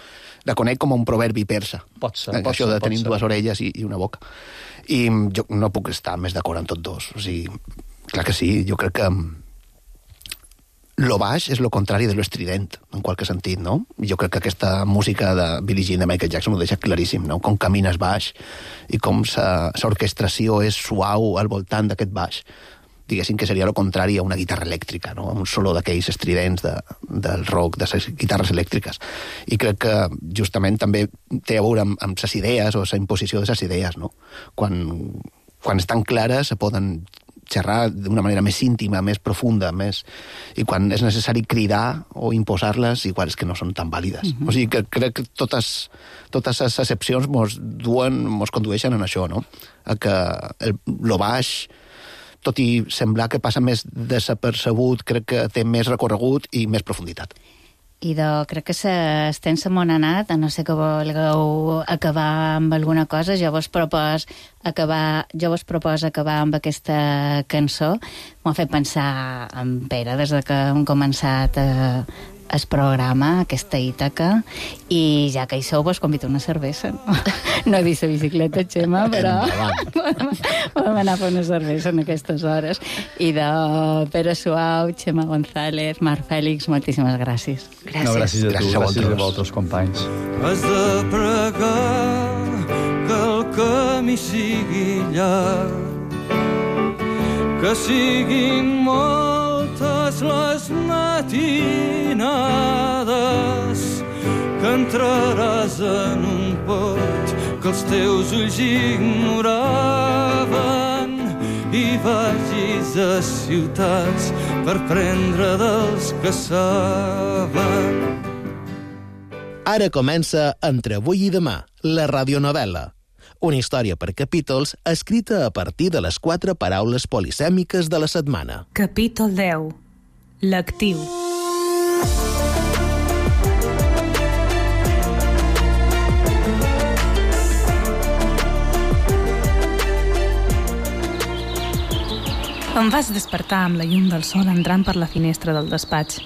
La conec com un proverbi persa. Pot ser. Això de tenir dues orelles i una boca. I jo no puc estar més d'acord amb tots dos. O sigui, clar que sí, jo crec que lo baix és lo contrari de lo estrident, en qualque sentit, no? Jo crec que aquesta música de Billie Jean de Michael Jackson ho deixa claríssim, no? Com camines baix i com l'orquestració és suau al voltant d'aquest baix. Diguéssim que seria lo contrari a una guitarra elèctrica, no? Un solo d'aquells estridents del rock, de les guitarres elèctriques. I crec que justament també té a veure amb les idees o la imposició de les idees, no? Quan estan clares se poden xerrar d'una manera més íntima, més profunda, i quan és necessari cridar o imposar-les, igual és que no són tan vàlides. O sigui que crec que totes les excepcions mos condueixen en això, no? A que lo baix, tot i semblar que passa més desapercebut, crec que té més recorregut i més profunditat. Crec que s'estén la món anat, a no ser que vulgueu acabar amb alguna cosa. Jo vos propos acabar amb aquesta cançó. M'ho ha fet pensar en Pere des que hem començat el programa, aquesta Ítaca, i ja que hi sou, vos convido una cervesa. No he vist la bicicleta, Xema, però podem anar a fer una cervesa en aquestes hores. I de Pere Suau, Xema González, Marc Fèlix, moltíssimes gràcies. Gràcies. No, gràcies a tu, gràcies a vosaltres, companys. Has de pregar que el camí sigui llarg, que siguin moltes les matinades, que entraràs en un pot que els teus ulls ignoraven i vagis a ciutats per prendre dels que saben. Ara comença Entre avui i demà, la radionovel·la. Una història per capítols escrita a partir de les 4 paraules polisèmiques de la setmana. Capítol 10. L'actiu. Em vaig despertar amb la llum del sol entrant per la finestra del despatx.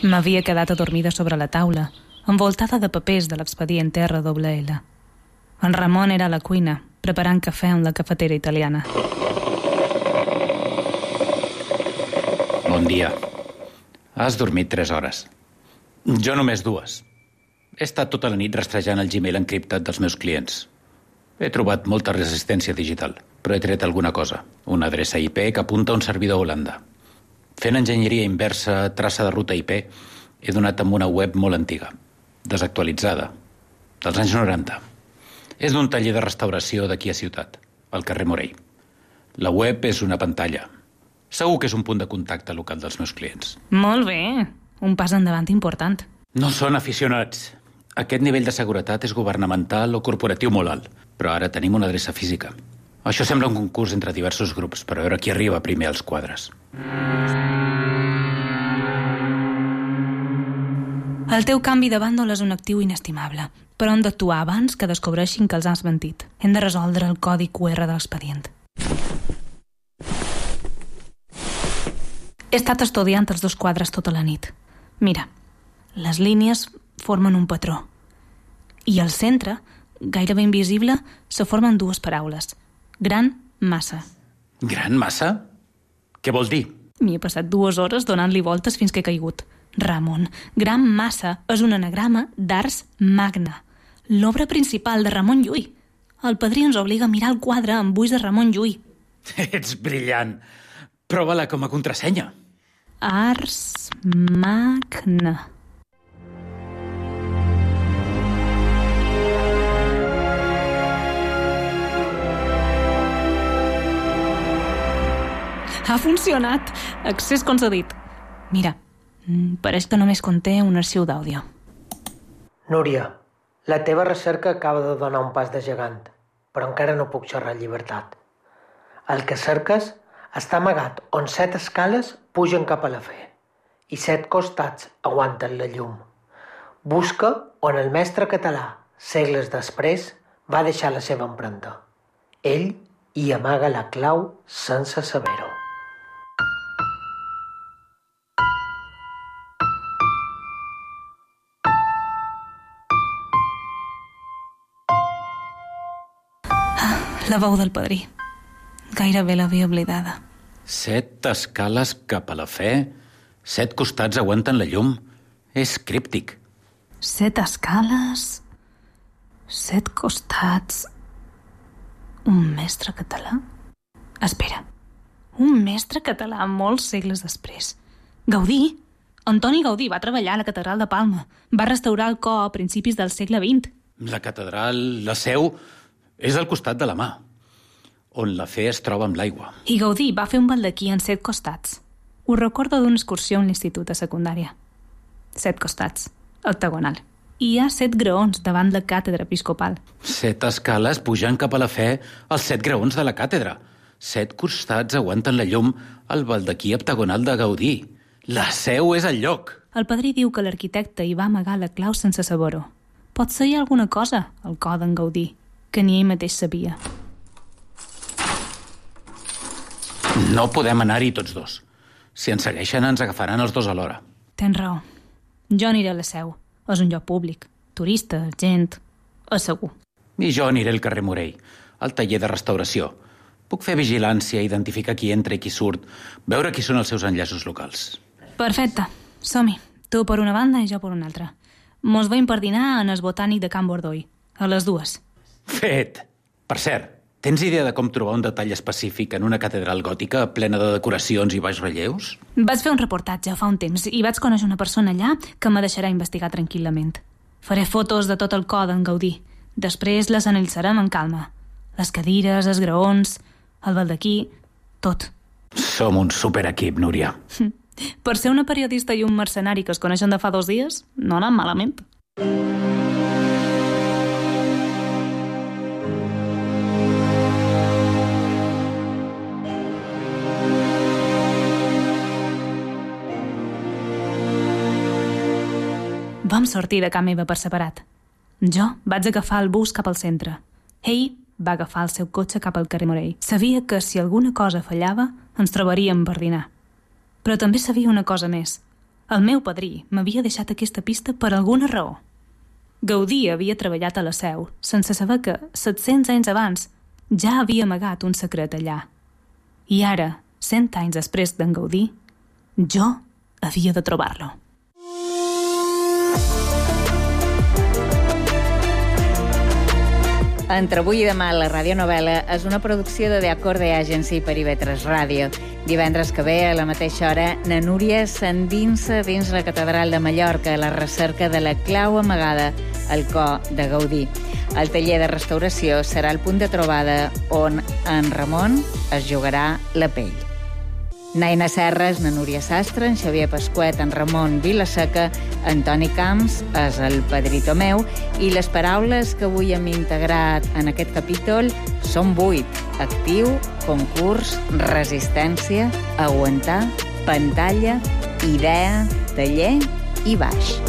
M'havia quedat adormida sobre la taula, envoltada de papers de l'expedient RLL. En Ramon era a la cuina, preparant cafè en la cafetera italiana. Bon dia. Has dormit 3 hores. Jo només 2. He estat tota la nit rastrejant el Gmail encriptat dels meus clients. He trobat molta resistència digital, però he tret alguna cosa. Una adreça IP que apunta a un servidor a Holanda. Fent enginyeria inversa, traça de ruta IP, he donat amb una web molt antiga, desactualitzada, dels anys 90. És d'un taller de restauració d'aquí a Ciutat, al carrer Morell. La web és una pantalla. Segur que és un punt de contacte local dels meus clients. Molt bé, un pas endavant important. No són aficionats. Aquest nivell de seguretat és governamental o corporatiu molt alt, però ara tenim una adreça física. Això sembla un concurs entre diversos grups, per veure qui arriba primer als quadres. El teu canvi de bàndol és un actiu inestimable, però hem d'actuar abans que descobreixin que els has mentit. Hem de resoldre el codi QR de l'expedient. He estat estudiant els 2 quadres tota la nit. Mira, les línies formen un patró. I al centre, gairebé invisible, se formen 2 paraules. Gran massa. Gran massa? Què vol dir? M'hi he passat 2 hores donant-li voltes fins que he caigut. Ramon, Gran massa és un anagrama d'Ars Magna, l'obra principal de Ramon Llull. El padrí ens obliga a mirar el quadre amb ulls de Ramon Llull. Ets brillant. Prova-la com a contrasenya. Ars Magna. Ha funcionat. Accés concedit. Mira, pareix que només conté un arxiu d'àudio. Núria, la teva recerca acaba de donar un pas de gegant, però encara no puc xerrar en llibertat. El que cerques està amagat on 7 escales pugen cap a la fe i 7 costats aguanten la llum. Busca on el mestre català, segles després, va deixar la seva empremta. Ell hi amaga la clau sense saber-ho. La veu del padrí. Gairebé l'havia oblidada. 7 escales cap a la fe, 7 costats aguanten la llum. És críptic. 7 escales, 7 costats... Un mestre català? Espera, un mestre català molts segles després. Gaudí? Antoni Gaudí va treballar a la catedral de Palma. Va restaurar el cor a principis del segle XX. La catedral, la seu, és al costat de la mà, on la fe es troba amb l'aigua. I Gaudí va fer un baldaquí en 7 costats. Ho recordo d'una excursió a l'institut de secundària. 7 costats, octagonal. I hi ha 7 graons davant la càtedra episcopal. 7 escales pujant cap a la fe als 7 graons de la càtedra. 7 costats aguanten la llum al baldaquí octagonal de Gaudí. La seu és el lloc. El padrí diu que l'arquitecte hi va amagar la clau sense saber-ho. Pot ser alguna cosa, al cor d'en Gaudí, que ni ell mateix sabia. No podem anar-hi tots 2. Si ens segueixen, ens agafaran els 2 alhora. Tens raó. Jo aniré a la seu. És un lloc públic. Turistes, gent... És segur. I jo aniré al carrer Morell, al taller de restauració. Puc fer vigilància, identificar qui entra i qui surt, veure qui són els seus enllaços locals. Perfecte. Som-hi. Tu per una banda i jo per una altra. Mos veiem per dinar en el botànic de Can Bordoi. A les 2. Fet. Per cert, tens idea de com trobar un detall específic en una catedral gòtica plena de decoracions i baix relleus? Vaig fer un reportatge fa un temps i vaig conèixer una persona allà que me deixarà investigar tranquil·lament. Faré fotos de tot el cor d'en Gaudí. Després les analitzarem en calma. Les cadires, els graons, el baldaquí, tot. Som un superequip, Núria. Per ser una periodista i un mercenari que es coneixen de fa 2 dies, no ha anat malament. Vam sortir de casa meva per separat. Jo vaig agafar el bus cap al centre. Ell va agafar el seu cotxe cap al carrer Morell. Sabia que si alguna cosa fallava, ens trobaríem per dinar. Però també sabia una cosa més. El meu padrí m'havia deixat aquesta pista per alguna raó. Gaudí havia treballat a la Seu, sense saber que, 700 anys abans, ja havia amagat un secret allà. I ara, 100 anys després d'en Gaudí, jo havia de trobar-lo. Entre avui i demà, la radionovel·la és una producció de The Acorde Agency per IB3 Ràdio. Divendres que ve, a la mateixa hora, na Núria s'endinsa dins la Catedral de Mallorca a la recerca de la clau amagada al cor de Gaudí. El taller de restauració serà el punt de trobada on en Ramon es jugarà la pell. Naina Serres, na Núria Sastre, en Xavier Pasquet, en Ramon Vilaseca, en Toni Camps és el Pedrito meu i les paraules que avui hem integrat en aquest capítol són 8. Actiu, concurs, resistència, aguantar, pantalla, idea, taller i baix.